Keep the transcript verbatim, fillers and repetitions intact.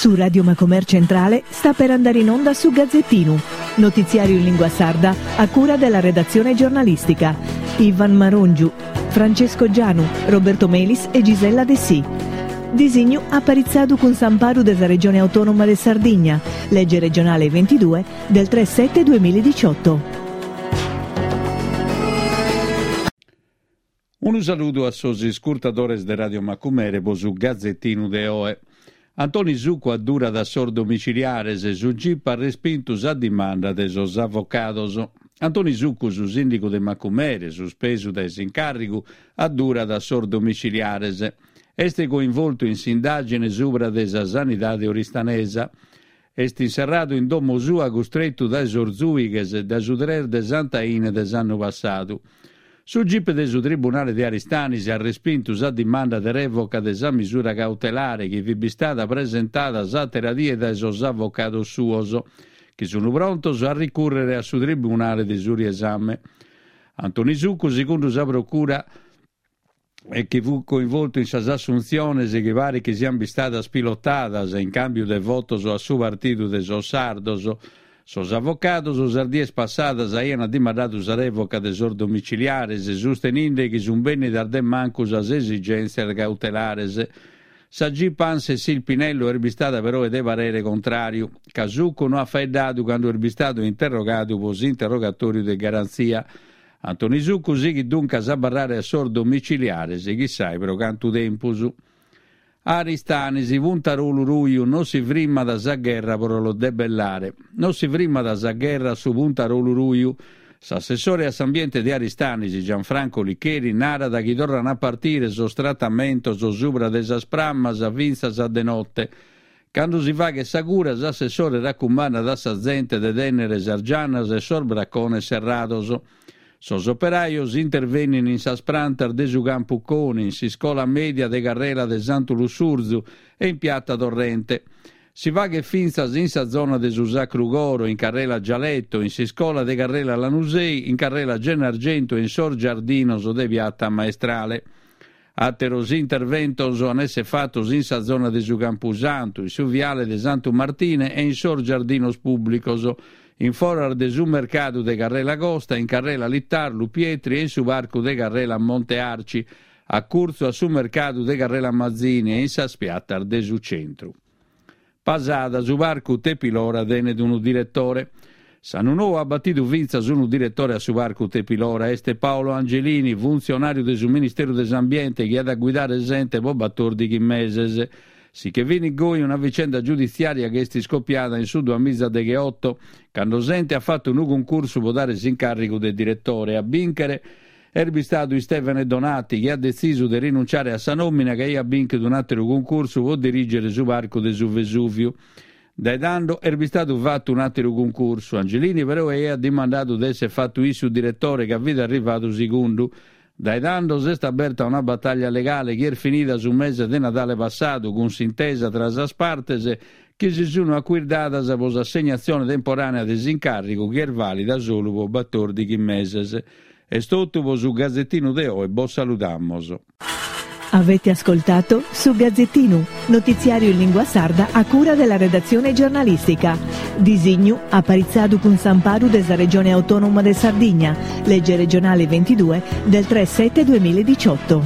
Su Radio Macomer Centrale sta per andare in onda su Gazzettinu, notiziario in lingua sarda a cura della redazione giornalistica. Ivan Marongiu, Francesco Gianu, Roberto Melis e Gisella Dessì. Disignu aparitzadu cun s'amparu de sa Regione Autonoma de Sardigna, legge regionale ventidue del tre sette duemiladiciotto. Unu saludu a sos iscurtadores de Radio Macumere po su Gazzettinu de oe. Antoni Succu addurat a sos domiciliares, su Gip at respintu sa dimanda de sos avocados. Antoni Succu, su sìndigu de Macumere, suspesu dae s'incàrrigu, addurat a sos domiciliares. Est coinvoltu in s'indàgine subra de sa sanidade oristanesa. Est inserradu in domo sua custretu dae sos zùighes dae su tres de Sant'Aine de s'annu passadu. Su Gip de su Tribunale de Aristanis at respintu sa dimanda de rèvoca de sa misura cautelare chi fit bistada presentada s'àtera die dae sos avocados suos, chi sunt prontos a ricùrrere a su Tribunale de su Riesame. Antoni Succu, segundu sa Procura, e chi fut coinvoltu in sas assuntziones chi paret chi siant bistadas pilotadas in càmbiu de votos a su Partidu de sos Sardos, sos avocados sas dies passadas aiant dimandadu sa rèvoca de sos domiciliares, susteninde chi sunt bènnidas de mancu sas esigèntzias cautelares. Sa Gip Anne-Cécile Pinello est bistada peroe de parere contràriu, ca Succu no at faeddadu cando est bistadu interrogadu pro s'interrogatòriu de garantzia. Antoni Succu sighit duncas a abarrare a sos domiciliares, chissai pro cantu tempus. Aristanis, Puntarolu Ruju, non si frimmat sa gherra pro lo debellare. Non si frimmat sa gherra a su Puntarolu Ruju. S'assessore a s'ambiente de Aristanis, Gianfranco Licheri, narat chi torran a partire sos tratamentos subra de sas prammas fintzas a de note. Cando si faghet sa cura, s'assessore racumandat a sa zente de tènnere sas giannas e sos bracones serrados. Sos operajos intervennin in sas prantas de su Campu Coni, in s'iscola mèdia de Carrela de Santu Lussurzu e in Piata Torrente. Si faghet fintzas in sa zona de su Sacru Coro, in Carrela Gialetto, in s'iscola de Carrela Lanusei, in Carrela Gennargentu e in sos giardinos de Piata Maestrale. Àteros interventos an èssere fatos in sa zona de su Campusantu, in su viale de Santu Martine e in sos giardinos pùblicos, in foras de su mercadu de Carrela Costa, in Carrela Littarlu, Pietri e in su parcu de Carrela Monte Arci, a curtzu a su mercadu de Carrela Mazzini e in sas piatas de su centru. Pasada, su parcu Tepilora tenet unu diretore. S'annu nou at batidu fintzas unu diretore a su parcu Tepilora, est Paolo Angelini, funtzionàriu de su Ministeru de s'Ambiente chi at a guidare s'ente pro batòrdighi meses. Si che finit goi una vicenda giuditziària chi est iscopiada in su duamiza degheoto, cando s'ente at fatu unu cuncursu pro dare s'incàrrigu de diretore. A bìnchere est bistadu Istevene Donati, chi at detzisu de rinunciare a sa nòmina ca aiat bìnchidu un'àteru cuncursu pro dirìgere su parcu de su Vesùviu. Dae tando est bistadu fatu un'àteru cuncursu. Angelini però aiat dimandadu de èssere fatu issu diretore ca fit arrivadu segundu. Dae tando s'est aberta una batàllia legale chi est finida su mese de Nadale passadu cun s'intesa tra sas partes chi si sunt acuirdadas pro s'assegnatzione temporànea de s'incàrrigu chi est vàlida solu pro batòrdighi meses. Est totu pro su Gazzettinu de oe, bos saludamos. Avete ascoltato su Gazzettinu, notiziario in lingua sarda a cura della redazione giornalistica. Disignu aparitzadu cun s'amparu de sa Regione Autonoma de Sardigna, legge regionale ventidue del tre sette duemiladiciotto.